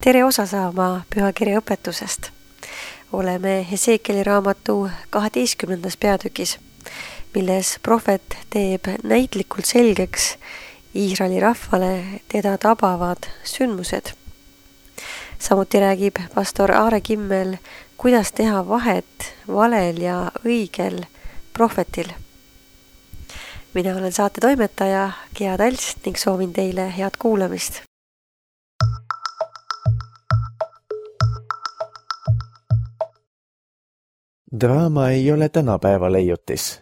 Tere osa saama pühakirja õpetusest. Oleme Hesekieli raamatu 12. peatükis, milles prohvet teeb näitlikult selgeks Iisraeli rahvale teda tabavad sündmused. Samuti räägib pastor Aare Kimmel, kuidas teha vahet valel ja õigel prohvetil. Mina olen saate toimetaja Gea Talts ning soovin teile head kuulamist. Draama ei ole tänapäeva leiutis.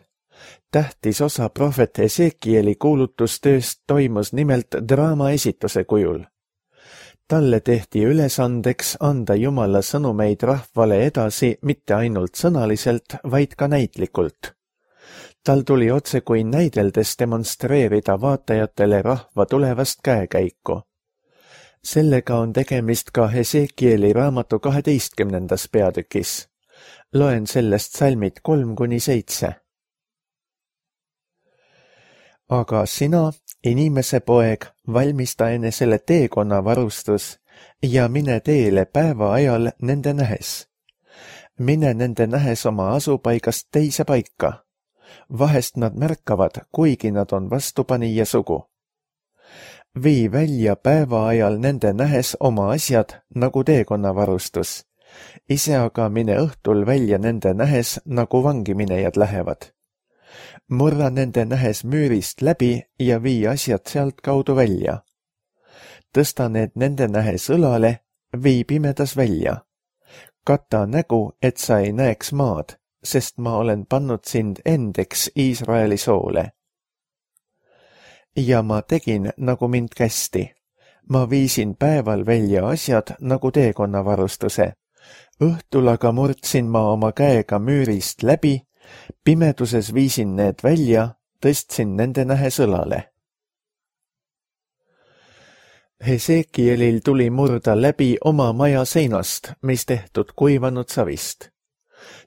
Tähtis osa prohvet Hesekieli kuulutustööst toimus nimelt draama esituse kujul. Talle tehti ülesandeks anda Jumala sõnumeid rahvale edasi mitte ainult sõnaliselt, vaid ka näitlikult. Tal tuli otse kui näideldes demonstreerida vaatajatele rahva tulevast käekäiku. Sellega on tegemist ka Hesekieli raamatu 12. peatükis. Loen sellest salmid 3-7. Aga sina, inimese poeg, valmista enesele teekonna varustus ja mine teele päeva ajal nende nähes. Mine nende nähes oma asupaigast teise paika. Vahest nad märkavad, kuigi nad on vastupanija sugu. Vii välja päeva ajal nende nähes oma asjad nagu teekonna varustus. Ise aga mine õhtul välja nende nähes, nagu vangiminejad lähevad. Murra nende nähes müürist läbi ja vii asjad sealt kaudu välja. Tõsta need nende nähes õlale, vii pimedas välja. Kata nägu, et sa ei näeks maad, sest ma olen pannud sind endeks Iisraeli soole. Ja ma tegin, nagu mind kästi. Ma viisin päeval välja asjad nagu teekonnavarustuse. Õhtul aga murdsin ma oma käega müürist läbi, pimeduses viisin need välja, tõstsin nende nähes õlale. Hesekielil tuli murda läbi oma maja seinast, mis tehtud kuivanud savist.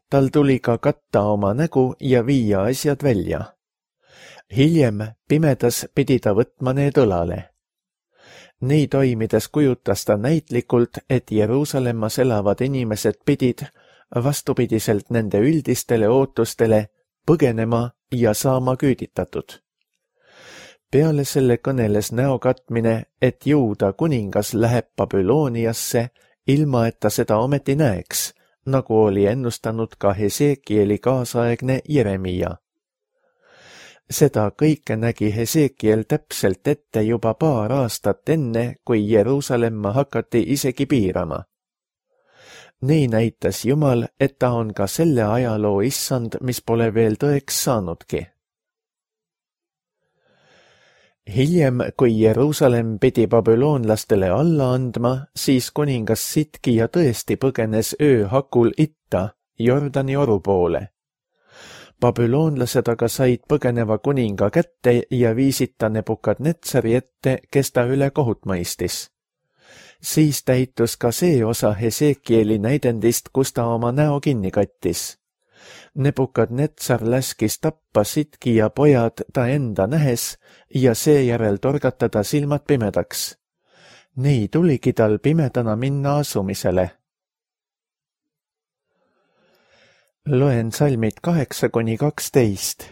Tal tuli ka katta oma nägu ja viia asjad välja. Hiljem pimedas pidi ta võtma need õlale. Nii toimides kujutas ta näitlikult, et Jeruusalemmas elavad inimesed pidid, vastupidiselt nende üldistele ootustele, põgenema ja saama küüditatud. Peale selle kõneles näokatmine, et Juuda kuningas läheb Babülooniasse, ilma et ta seda ometi näeks, nagu oli ennustanud ka Hesekieli kaasaegne Jeremia. Seda kõike nägi Hesekiel täpselt ette juba paar aastat enne, kui Jeruusalemma hakati isegi piirama. Nii näitas Jumal, et ta on ka selle ajaloo issand, mis pole veel tõeks saanudki. Hiljem, kui Jeruusalemm pidi babüloonlastele alla andma, siis kuningas Sitkija tõesti põgenes ööhakul itta, Jordani oru poole. Babüloonlased aga said põgeneva kuninga kätte ja viisid ta Nebukadnetsari ette, kes ta üle kohut mõistis. Siis täitus ka see osa Hesekieli näidendist, kus ta oma näo kinni kattis. Nebukadnetsar laskis tappa Sitkija pojad ta enda nähes ja seejärel torgata ta silmad pimedaks. Nii tuligi tal pimedana minna asumisele. Loen salmid 8-12.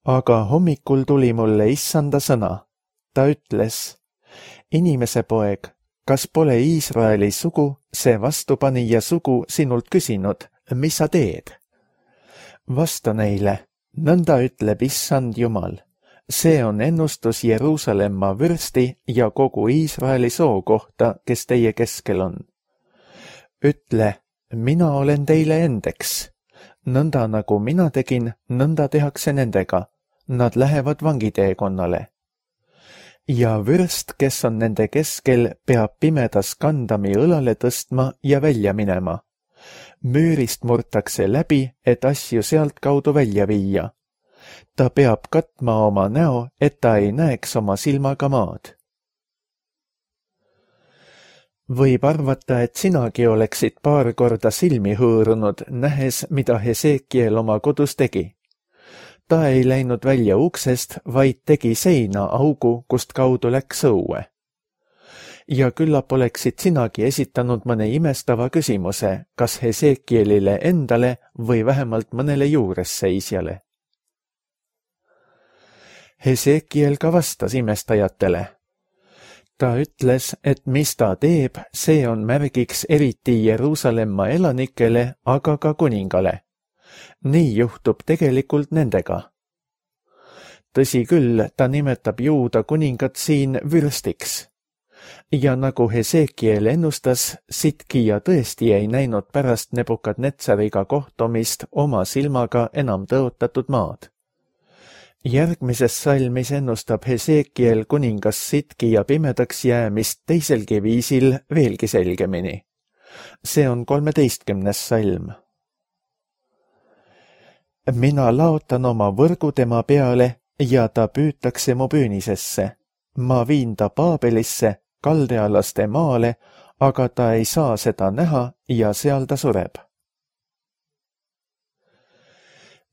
Aga hommikul tuli mulle issanda sõna. Ta ütles, inimese poeg, kas pole Iisraeli sugu, see vastupanija sugu sinult küsinud, mis sa teed? Vasta neile, nõnda ütleb issand Jumal. See on ennustus Jeruusalemma vürsti ja kogu Iisraeli soo kohta, kes teie keskel on. Ütle, mina olen teile endeks. Nõnda nagu mina tegin, nõnda tehakse nendega. Nad lähevad vangiteekonnale. Ja vürst, kes on nende keskel, peab pimedas kandami õlale tõstma ja välja minema. Müürist murtakse läbi, et asju sealt kaudu välja viia. Ta peab katma oma näo, et ta ei näeks oma silmaga maad. Võib arvata, et sinagi oleksid paar korda silmi hõõrunud, nähes, mida Hesekiel oma kodus tegi. Ta ei läinud välja uksest, vaid tegi seina augu, kust kaudu läks õue. ja küllap oleksid sinagi esitanud mõne imestava küsimuse, kas Hesekielile endale või vähemalt mõnele juuresseisjale. Hesekiel ka vastas imestajatele. Ta ütles, et mis ta teeb, see on märgiks eriti Jeruusalemma elanikele, aga ka kuningale. Nii juhtub tegelikult nendega. Tõsi küll, ta nimetab Juuda kuningat siin vürstiks. Ja nagu Hesekiel ennustas, Sitkija tõesti ei näinud pärast Nebukadnetsariga kohtumist oma silmaga enam tõotatud maad. Järgmises salmis ennustab Hesekiel kuningas Sitkija pimedaks jäämist teiselgi viisil veelgi selgemini. See on 13. salm. Mina laotan oma võrgu tema peale ja ta püütakse mu püünisesse. Ma viin ta Paabelisse, kaldealaste maale, aga ta ei saa seda näha ja seal ta sureb.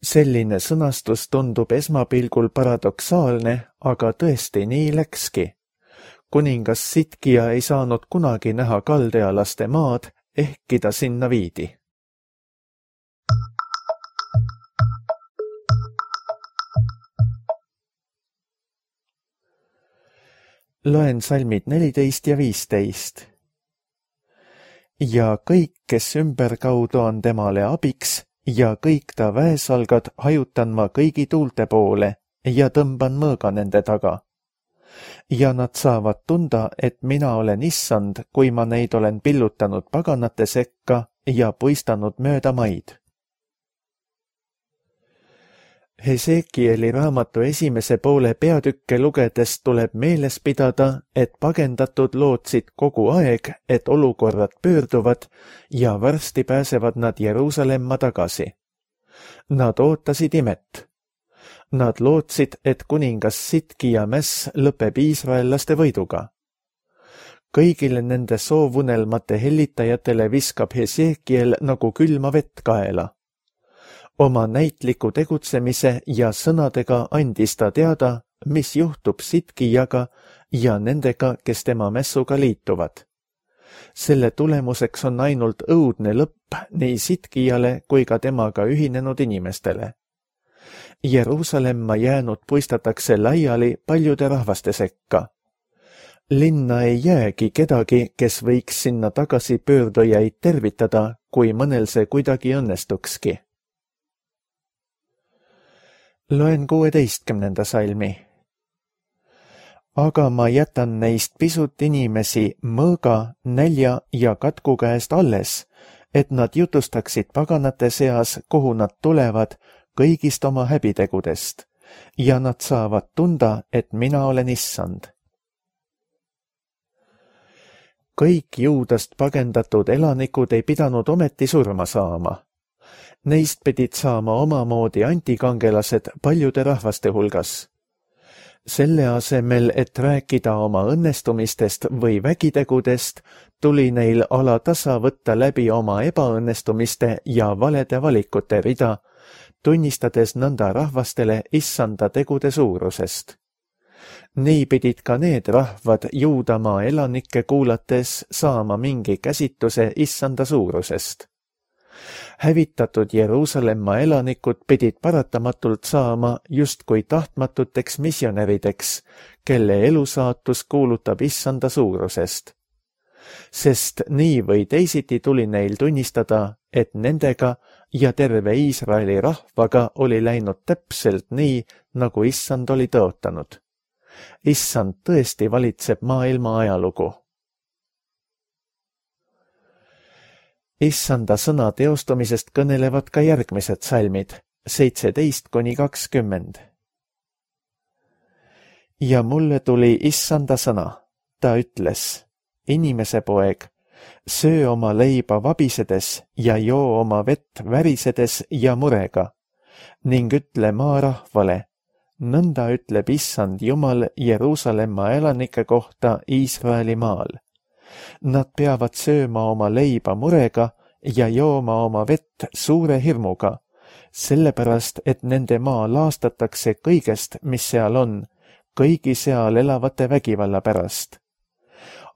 Selline sõnastus tundub esmapilgul paradoksaalne, aga tõesti nii läkski. Kuningas Sitkija ei saanud kunagi näha kaldealaste maad, ehkki ta sinna viidi. Loen salmid 14 ja 15. Ja kõik, kes ümberkaudu on temale abiks, ja kõik ta väesalgad hajutan ma kõigi tuulte poole ja tõmban mõõga nende taga. Ja nad saavad tunda, et mina olen issand, kui ma neid olen pillutanud paganate sekka ja puistanud mööda maid. Hesekieli raamatu esimese poole peatükke lugedes tuleb meeles pidada, et pagendatud lootsid kogu aeg, et olukorrad pöörduvad ja varsti pääsevad nad Jeruusalemma tagasi. Nad ootasid imet. Nad lootsid, et kuningas Sitkija mäss lõpeb iisraellaste võiduga. Kõigile nende soovunelmate hellitajatele viskab Hesekiel nagu külma vett kaela. Oma näitliku tegutsemise ja sõnadega andis ta teada, mis juhtub Sitkijaga ja nendega, kes tema mässuga liituvad. Selle tulemuseks on ainult õudne lõpp nii Sitkijale kui ka temaga ühinenud inimestele. Jeruusalemma jäänud puistatakse laiali paljude rahvaste sekka. Linna ei jäägi kedagi, kes võiks sinna tagasi pöördujaid tervitada, kui mõnel see kuidagi õnnestukski. Loen 16. salmi. Aga ma jätan neist pisut inimesi mõõga, nälja ja katku käest alles, et nad jutustaksid paganate seas, kuhu nad tulevad, kõigist oma häbitegudest, ja nad saavad tunda, et mina olen issand. Kõik Juudast pagendatud elanikud ei pidanud ometi surma saama. Neist pidid saama omamoodi antikangelased paljude rahvaste hulgas. Selle asemel, et rääkida oma õnnestumistest või vägitegudest, tuli neil alatasa võtta läbi oma ebaõnnestumiste ja valede valikute rida, tunnistades nõnda rahvastele issanda tegude suurusest. Nii pidid ka need rahvad Juudamaa elanikke kuulates saama mingi käsituse issanda suurusest. Hävitatud Jeruusalemma elanikud pidid paratamatult saama justkui tahtmatuteks missionärideks, kelle elusaatus kuulutab issanda suurusest. Sest nii või teisiti tuli neil tunnistada, et nendega ja terve Iisraeli rahvaga oli läinud täpselt nii, nagu issand oli tõotanud. Issand tõesti valitseb maailma ajalugu. Issanda sõna teostumisest kõnelevad ka järgmised salmid, 17–20. Ja mulle tuli issanda sõna, ta ütles, inimese poeg, söö oma leiba vabisedes ja joo oma vett värisedes ja murega ning ütle maarahvale, nõnda ütleb issand Jumal Jeruusalemma elanike kohta Iisraeli maal. Nad peavad sööma oma leiba murega ja jooma oma vett suure hirmuga, sellepärast, et nende maa laastatakse kõigest, mis seal on, kõigi seal elavate vägivalla pärast.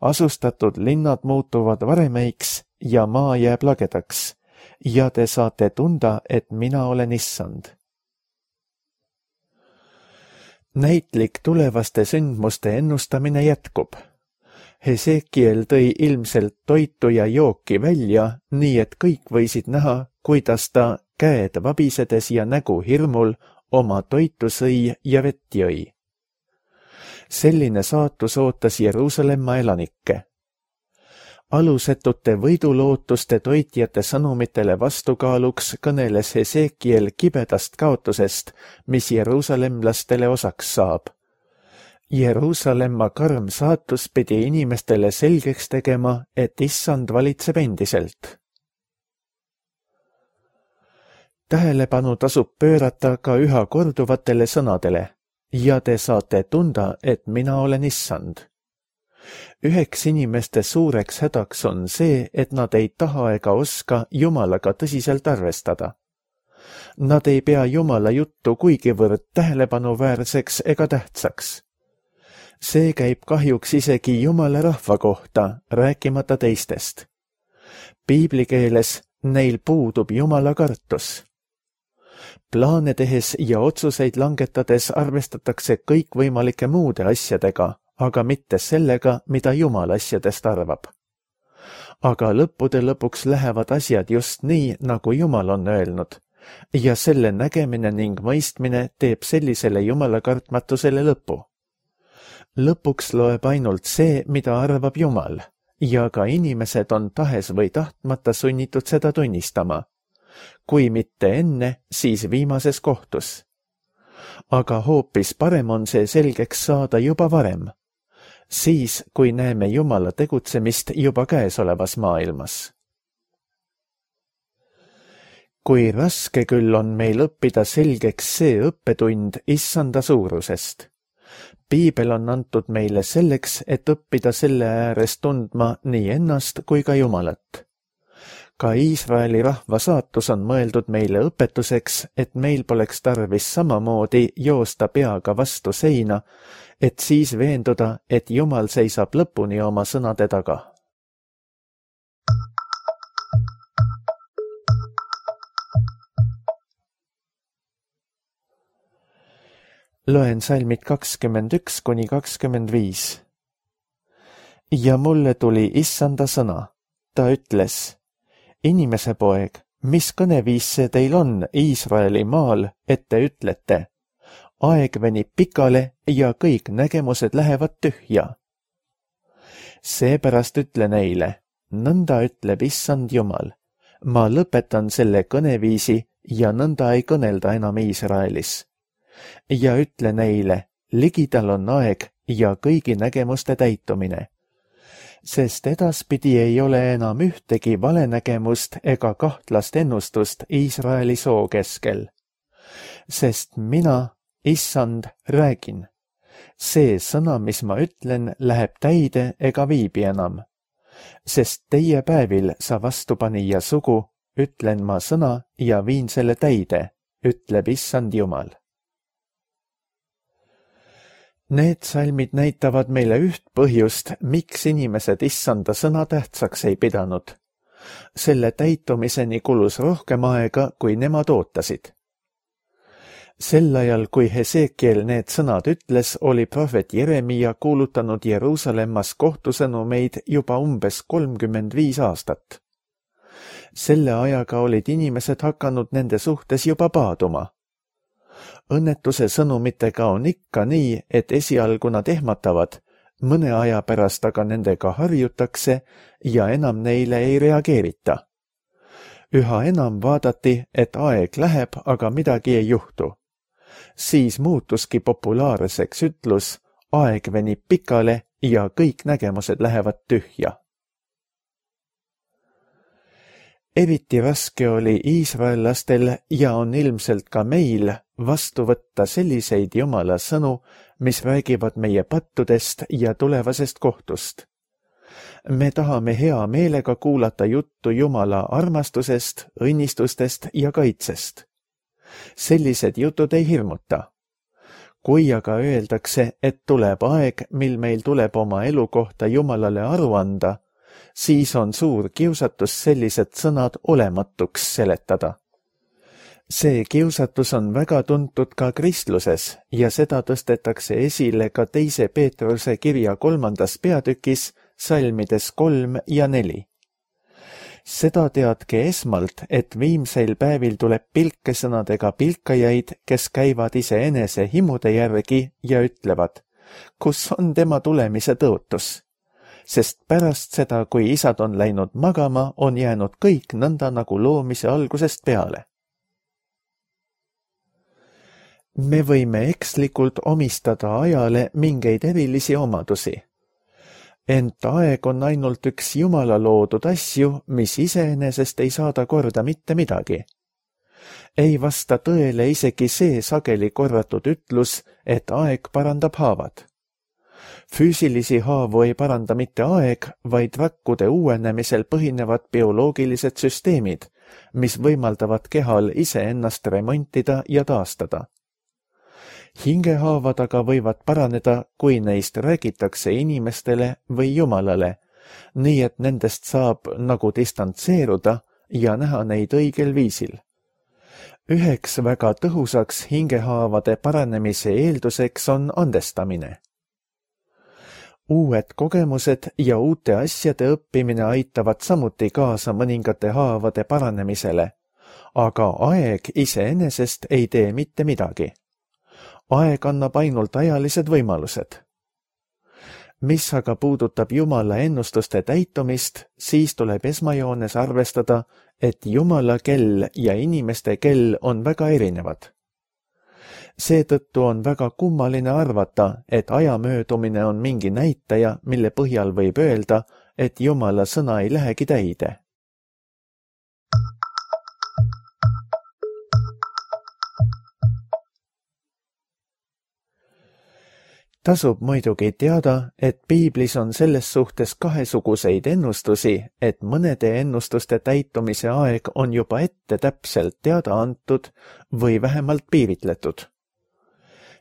Asustatud linnad muutuvad varemeiks ja maa jääb lagedaks ja te saate tunda, et mina olen Issand. Näitlik tulevaste sündmuste ennustamine jätkub. Hesekiel tõi ilmselt toitu ja jooki välja, nii et kõik võisid näha, kuidas ta käed vabisedes ja nägu hirmul oma toitu sõi ja vett jõi. Selline saatus ootas Jeruusalemma elanikke. Alusetute võidulootuste toitjate sõnumitele vastukaaluks kõneles Hesekiel kibedast kaotusest, mis jeruusalemlastele osaks saab. Jeruusalemma karm saatus pidi inimestele selgeks tegema, et Issand valitseb endiselt. Tähelepanu tasub pöörata ka üha korduvatele sõnadele ja te saate tunda, et mina olen Issand. Üheks inimeste suureks hädaks on see, et nad ei taha ega oska Jumalaga tõsiselt arvestada. Nad ei pea Jumala juttu kuigivõrd tähelepanuväärseks ega tähtsaks. See käib kahjuks isegi Jumala rahva kohta, rääkimata teistest. Piibli keeles neil puudub Jumala kartus. Plaane tehes ja otsuseid langetades arvestatakse kõikvõimalike muude asjadega, aga mitte sellega, mida Jumal asjadest arvab. Aga lõppude lõpuks lähevad asjad just nii, nagu Jumal on öelnud, ja selle nägemine ning mõistmine teeb sellisele Jumala kartmatusele lõpu. Lõpuks loeb ainult see, mida arvab Jumal, ja ka inimesed on tahes või tahtmata sunnitud seda tunnistama. Kui mitte enne, siis viimases kohtus. Aga hoopis parem on see selgeks saada juba varem. Siis, kui näeme Jumala tegutsemist juba käesolevas maailmas. Kui raske küll on meil õppida selgeks see õppetund Issanda suurusest. Piibel on antud meile selleks, et õppida selle ääres tundma nii ennast kui ka Jumalat. Ka Iisraeli rahva saatus on mõeldud meile õpetuseks, et meil poleks tarvis samamoodi joosta peaga vastu seina, et siis veenduda, et Jumal seisab lõpuni oma sõnade taga. Loen salmid 21–25. Ja mulle tuli Issanda sõna. Ta ütles, inimese poeg, mis kõneviis see teil on Iisraeli maal, et te ütlete? Aeg venib pikale ja kõik nägemused lähevad tühja. Seepärast ütle neile, nõnda ütleb Issand Jumal. Ma lõpetan selle kõneviisi ja nõnda ei kõnelda enam Iisraelis. Ja ütle neile, ligidal on aeg ja kõigi nägemuste täitumine. Sest edaspidi ei ole enam ühtegi valenägemust ega kahtlast ennustust Iisraeli soo keskel. Sest mina, Issand, räägin. See sõna, mis ma ütlen, läheb täide ega viibi enam. Sest teie päevil sa vastupanija sugu, ütlen ma sõna ja viin selle täide, ütleb Issand Jumal. Need salmid näitavad meile üht põhjust, miks inimesed Issanda sõna tähtsaks ei pidanud. Selle täitumiseni kulus rohkem aega, kui nemad ootasid. Sel ajal, kui Hesekiel need sõnad ütles, oli prohvet Jeremia kuulutanud Jeruusalemmas kohtusõnumeid juba umbes 35 aastat. Selle ajaga olid inimesed hakanud nende suhtes juba paaduma. Õnnetuse sõnumitega on ikka nii, et esialgu nad ehmatavad, mõne aja pärast aga nendega harjutakse ja enam neile ei reageerita. Üha enam vaadati, et aeg läheb, aga midagi ei juhtu. Siis muutuski populaarseks ütlus, aeg venib pikale ja kõik nägemused lähevad tühja. Eriti raske oli iisraellastel ja on ilmselt ka meil vastu võtta selliseid Jumala sõnu, mis räägivad meie pattudest ja tulevasest kohtust. Me tahame hea meelega kuulata juttu Jumala armastusest, õnnistustest ja kaitsest. Sellised jutud ei hirmuta. Kui aga öeldakse, et tuleb aeg, mil meil tuleb oma elu kohta Jumalale aru anda, siis on suur kiusatus sellised sõnad olematuks seletada. See kiusatus on väga tuntud ka kristluses ja seda tõstetakse esile ka 2. Peetruse kirja 3. peatükis salmides 3 ja 4. Seda teadke esmalt, et viimseil päevil tuleb pilkesõnadega pilkajaid, kes käivad iseenese himude järgi ja ütlevad, kus on tema tulemise tõotus? Sest pärast seda, kui isad on läinud magama, on jäänud kõik nõnda nagu loomise algusest peale. Me võime ekslikult omistada ajale mingeid erilisi omadusi. Ent aeg on ainult üks Jumala loodud asju, mis iseenesest ei saada korda mitte midagi. Ei vasta tõele isegi see sageli korratud ütlus, et aeg parandab haavad. Füüsilisi haavu ei paranda mitte aeg, vaid rakkude uuenemisel põhinevad bioloogilised süsteemid, mis võimaldavad kehal iseennast remontida ja taastada. Hingehaavad aga võivad paraneda, kui neist räägitakse inimestele või Jumalale, nii et nendest saab nagu distantseeruda ja näha neid õigel viisil. Üheks väga tõhusaks hingehaavade paranemise eelduseks on andestamine. Uued kogemused ja uute asjade õppimine aitavad samuti kaasa mõningate haavade paranemisele, aga aeg iseenesest ei tee mitte midagi. Aeg annab ainult ajalised võimalused. Mis aga puudutab Jumala ennustuste täitumist, siis tuleb esmajoones arvestada, et Jumala kell ja inimeste kell on väga erinevad. Seetõttu on väga kummaline arvata, et aja möödumine on mingi näitaja, mille põhjal võib öelda, et Jumala sõna ei lähegi täide. Tasub muidugi teada, et piiblis on selles suhtes kahesuguseid ennustusi, et mõnede ennustuste täitumise aeg on juba ette täpselt teada antud või vähemalt piiritletud.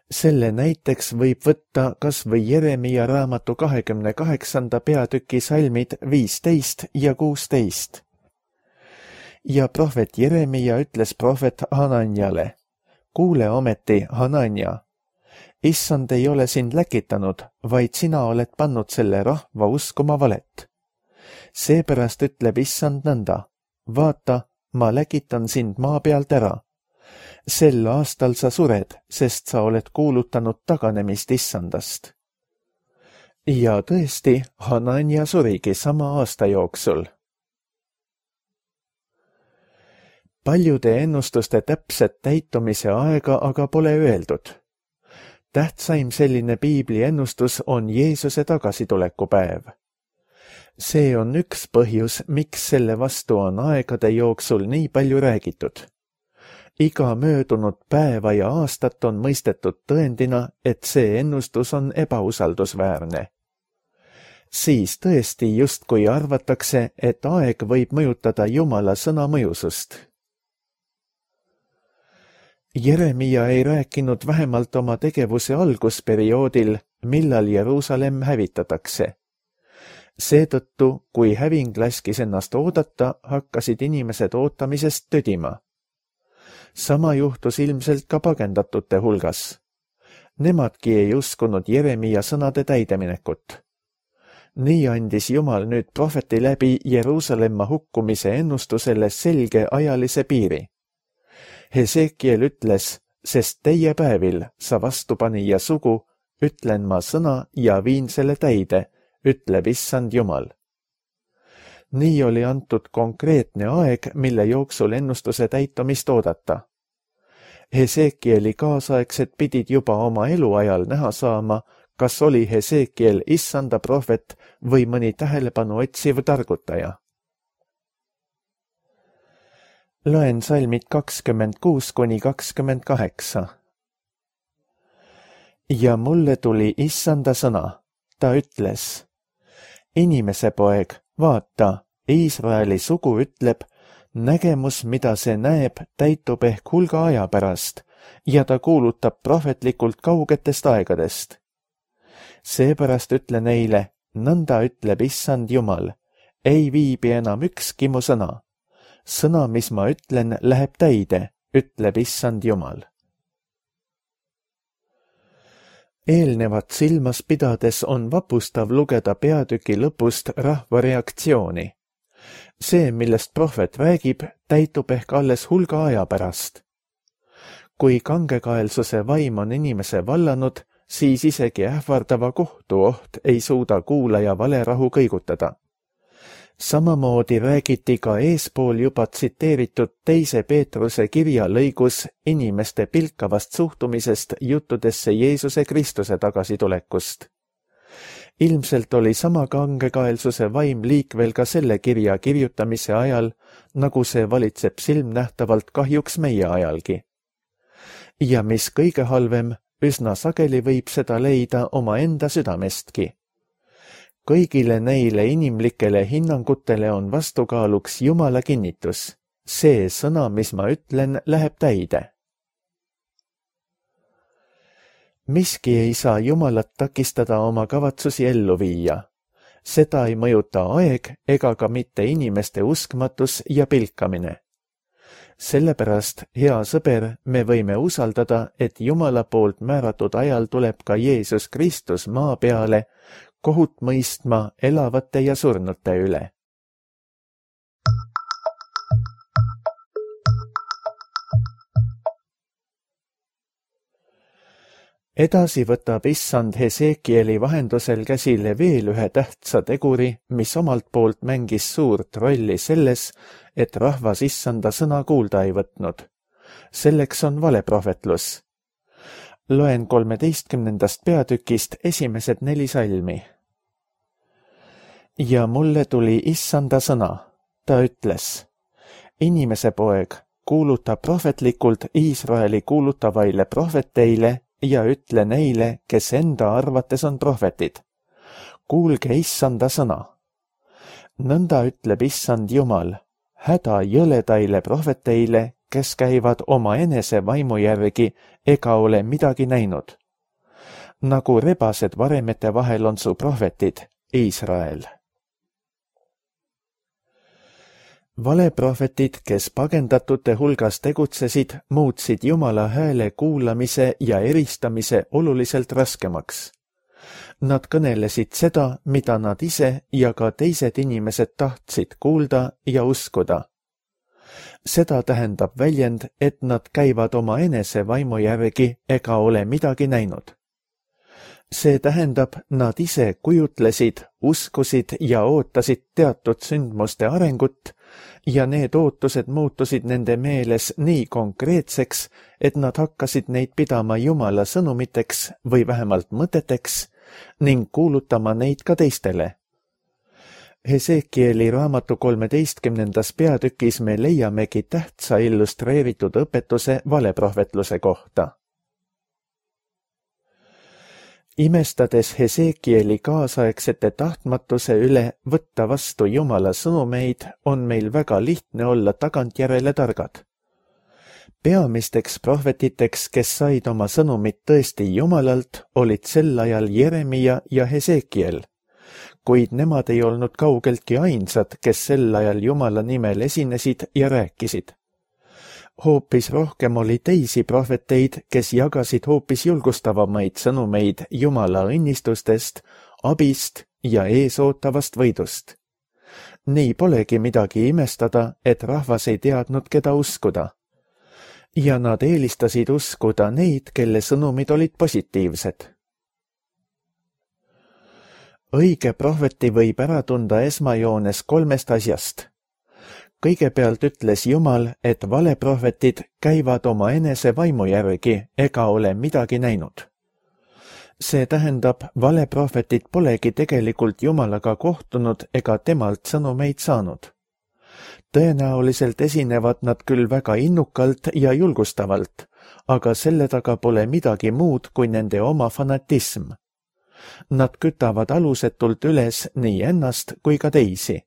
Selle näiteks võib võtta kas või Jeremia raamatu 28. peatüki salmid 15 ja 16. Ja prohvet Jeremia ütles prohvet Hananjale, kuule ometi, Hananja, Issand ei ole sind läkitanud, vaid sina oled pannud selle rahva uskuma valet. Seepärast ütleb Issand nõnda, vaata, ma läkitan sind maa pealt ära. Sel aastal sa sured, sest sa oled kuulutanud taganemist Issandast. Ja tõesti, Hananja surigi sama aasta jooksul. Paljude ennustuste täpset täitumise aega aga pole öeldud. Tähtsaim selline piibli ennustus on Jeesuse tagasitulekupäev. See on üks põhjus, miks selle vastu on aegade jooksul nii palju räägitud. Iga möödunud päeva ja aastat on mõistetud tõendina, et see ennustus on ebausaldusväärne. Siis tõesti justkui arvatakse, et aeg võib mõjutada Jumala sõna mõjusust. Jeremia ei rääkinud vähemalt oma tegevuse algusperioodil, millal Jeruusalemm hävitatakse. Seetõttu, kui häving laskis ennast oodata, hakkasid inimesed ootamisest tödima. Sama juhtus ilmselt ka pagendatute hulgas. Nemadki ei uskunud Jeremia sõnade täideminekut. Nii andis Jumal nüüd prohveti läbi Jeruusalemma hukkumise ennustusele selge ajalise piiri. Hesekiel ütles, sest teie päevil sa vastupanija sugu, ütlen ma sõna ja viin selle täide, ütleb Issand Jumal. Nii oli antud konkreetne aeg, mille jooksul ennustuse täitumist oodata. Hesekieli kaasaegsed pidid juba oma eluajal näha saama, kas oli Hesekiel Issanda prohvet või mõni tähelepanu otsiv targutaja. Loen salmid 26–28. Ja mulle tuli Issanda sõna. Ta ütles, inimese poeg, vaata, Iisraeli sugu ütleb, nägemus, mida see näeb, täitub ehk hulga aja pärast ja ta kuulutab prohvetlikult kaugetest aegadest. Seepärast ütle neile, nõnda ütleb Issand Jumal, ei viibi enam ükski mu sõna. Sõna, mis ma ütlen, läheb täide, ütleb Issand Jumal. Eelnevat silmas pidades on vapustav lugeda peatüki lõpust rahva reaktsiooni. See, millest prohvet räägib, täitub ehk alles hulga aja pärast. Kui kangekaelsuse vaim on inimese vallanud, siis isegi ähvardava kohtuoht ei suuda kuulaja valerahu kõigutada. Samamoodi räägiti ka eespool juba tsiteeritud 2. Peetruse kirja lõigus inimeste pilkavast suhtumisest juttudesse Jeesuse Kristuse tagasitulekust. Ilmselt oli sama kangekaelsuse vaim liikvel ka selle kirja kirjutamise ajal, nagu see valitseb silmnähtavalt kahjuks meie ajalgi. Ja mis kõige halvem, üsna sageli võib seda leida omaenda südamestki. Kõigile neile inimlikele hinnangutele on vastukaaluks Jumala kinnitus. See sõna, mis ma ütlen, läheb täide. Miski ei saa Jumalat takistada oma kavatsusi ellu viia. Seda ei mõjuta aeg ega ka mitte inimeste uskmatus ja pilkamine. Sellepärast, hea sõber, me võime usaldada, et Jumala poolt määratud ajal tuleb ka Jeesus Kristus maa peale, kohut mõistma elavate ja surnute üle. Edasi võtab Issand Hesekieli vahendusel käsile veel ühe tähtsa teguri, mis omalt poolt mängis suurt rolli selles, et rahvas Issanda sõna kuulda ei võtnud. Selleks on valeprohvetlus. Loen 13. peatükist esimesed 4 salmi. Ja mulle tuli Issanda sõna. Ta ütles, inimese poeg, kuuluta prohvetlikult Iisraeli kuulutavaile prohveteile ja ütle neile, kes enda arvates on prohvetid. Kuulge Issanda sõna. Nõnda ütleb Issand Jumal, häda jõledaile prohveteile, kes käivad oma enese vaimu järgi ega ole midagi näinud. Nagu rebased varemete vahel on su prohvetid, Iisrael. Valeprohvetid, kes pagendatute hulgas tegutsesid, muutsid Jumala hääle kuulamise ja eristamise oluliselt raskemaks. Nad kõnelesid seda, mida nad ise ja ka teised inimesed tahtsid kuulda ja uskuda. Seda tähendab väljend, et nad käivad oma enese vaimu järgi ega ole midagi näinud. See tähendab, nad ise kujutlesid, uskusid ja ootasid teatud sündmuste arengut ja need ootused muutusid nende meeles nii konkreetseks, et nad hakkasid neid pidama Jumala sõnumiteks või vähemalt mõteteks ning kuulutama neid ka teistele. Hesekieli raamatu 13. peatükis me leiamegi tähtsa illustreeritud õpetuse valeprohvetluse kohta. Imestades Hesekieli kaasaegsete tahtmatuse üle võtta vastu Jumala sõnumeid, on meil väga lihtne olla tagantjärele targad. Peamisteks prohvetiteks, kes said oma sõnumit tõesti Jumalalt, olid sel ajal Jeremia ja Hesekiel. Kuid nemad ei olnud kaugeltki ainsad, kes sel ajal Jumala nimel esinesid ja rääkisid. Hoopis rohkem oli teisi prohveteid, kes jagasid hoopis julgustavamaid sõnumeid Jumala õnnistustest, abist ja eesootavast võidust. Nii polegi midagi imestada, et rahvas ei teadnud, keda uskuda. Ja nad eelistasid uskuda neid, kelle sõnumid olid positiivsed. Õige prohveti võib ära tunda esmajoones 3 asjast. Kõigepealt ütles Jumal, et valeprohvetid käivad oma enese vaimu järgi ega ole midagi näinud. See tähendab, valeprohvetid polegi tegelikult Jumalaga kohtunud ega temalt sõnumeid saanud. Tõenäoliselt esinevad nad küll väga innukalt ja julgustavalt, aga selle taga pole midagi muud kui nende oma fanatism. Nad kütavad alusetult üles nii ennast kui ka teisi.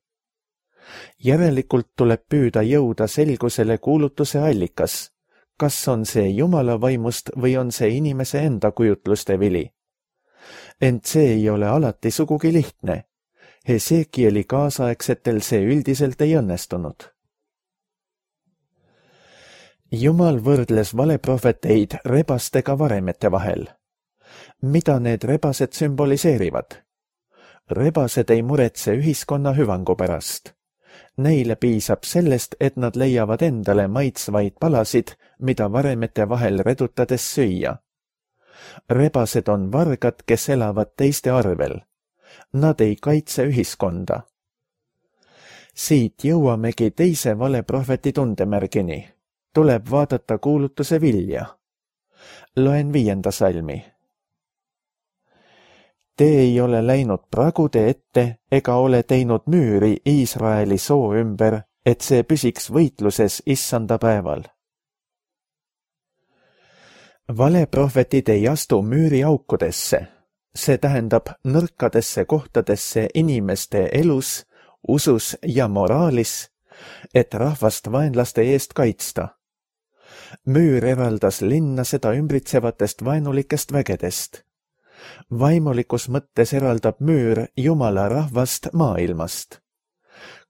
Järelikult tuleb püüda jõuda selgusele kuulutuse allikas. kas on see Jumala vaimust või on see inimese enda kujutluste vili. Ent see ei ole alati sugugi lihtne. Hesekieli kaasaegsetel see üldiselt ei õnnestunud. Jumal võrdles valeprohveteid rebastega varemete vahel. Mida need rebased sümboliseerivad? Rebased ei muretse ühiskonna hüvangu pärast. Neile piisab sellest, et nad leiavad endale maitsvaid palasid, mida varemete vahel redutades süüa. Rebased on vargad, kes elavad teiste arvel. Nad ei kaitse ühiskonda. Siit jõuamegi teise valeprohveti tundemärgini. Tuleb vaadata kuulutuse vilja. Loen 5. salmi. Te ei ole läinud pragude ette ega ole teinud müüri Iisraeli soo ümber, et see püsiks võitluses issanda päeval. Valeprohvetid ei astu müüri aukudesse. See tähendab nõrkadesse kohtadesse inimeste elus, usus ja moraalis, et rahvast vaenlaste eest kaitsta. Müür eraldas linna seda ümbritsevatest vaenulikest vägedest. Vaimulikus mõttes eraldab müür Jumala rahvast maailmast.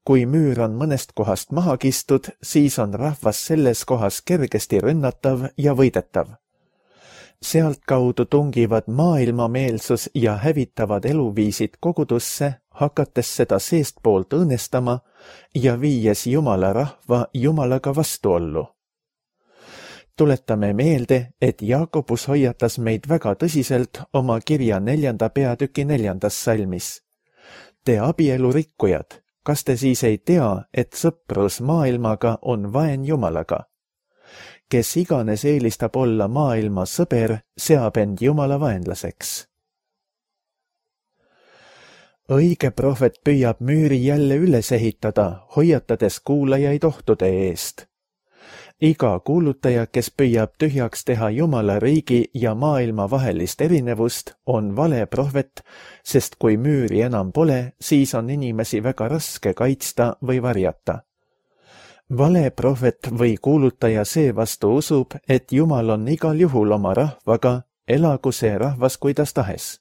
Kui müür on mõnest kohast maha kistud, siis on rahvas selles kohas kergesti rünnatav ja võidetav. Sealt kaudu tungivad maailmameelsus ja hävitavad eluviisid kogudusse, hakates seda seestpoolt õõnestama ja viies Jumala rahva Jumalaga vastuollu. Tuletame meelde, et Jaakobus hoiatas meid väga tõsiselt oma kirja 4. peatüki 4. salmis. Te abielurikkujad, kas te siis ei tea, et sõprus maailmaga on vaen Jumalaga? Kes iganes eelistab olla maailma sõber, seab end Jumala vaenlaseks. Õige prohvet püüab müüri jälle üles ehitada, hoiatades kuulajaid ohtude eest. Iga kuulutaja, kes püüab tühjaks teha Jumala riigi ja maailma vahelist erinevust, on vale prohvet, sest kui müüri enam pole, siis on inimesi väga raske kaitsta või varjata. Vale prohvet või kuulutaja seevastu usub, et Jumal on igal juhul oma rahvaga, elagu see rahvas kuidas tahes.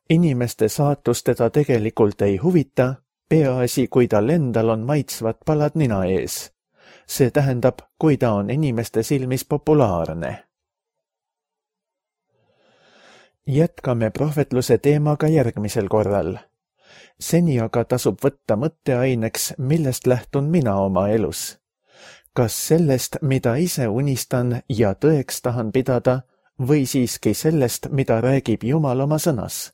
Inimeste saatus teda tegelikult ei huvita, peaasi, kui tal endal on maitsvad palad nina ees. See tähendab, kui ta on inimeste silmis populaarne. Jätkame prohvetluse teemaga järgmisel korral. Seni aga tasub võtta mõtteaineks, millest lähtun mina oma elus. Kas sellest, mida ise unistan ja tõeks tahan pidada, või siiski sellest, mida räägib Jumal oma sõnas?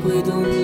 Kui tundub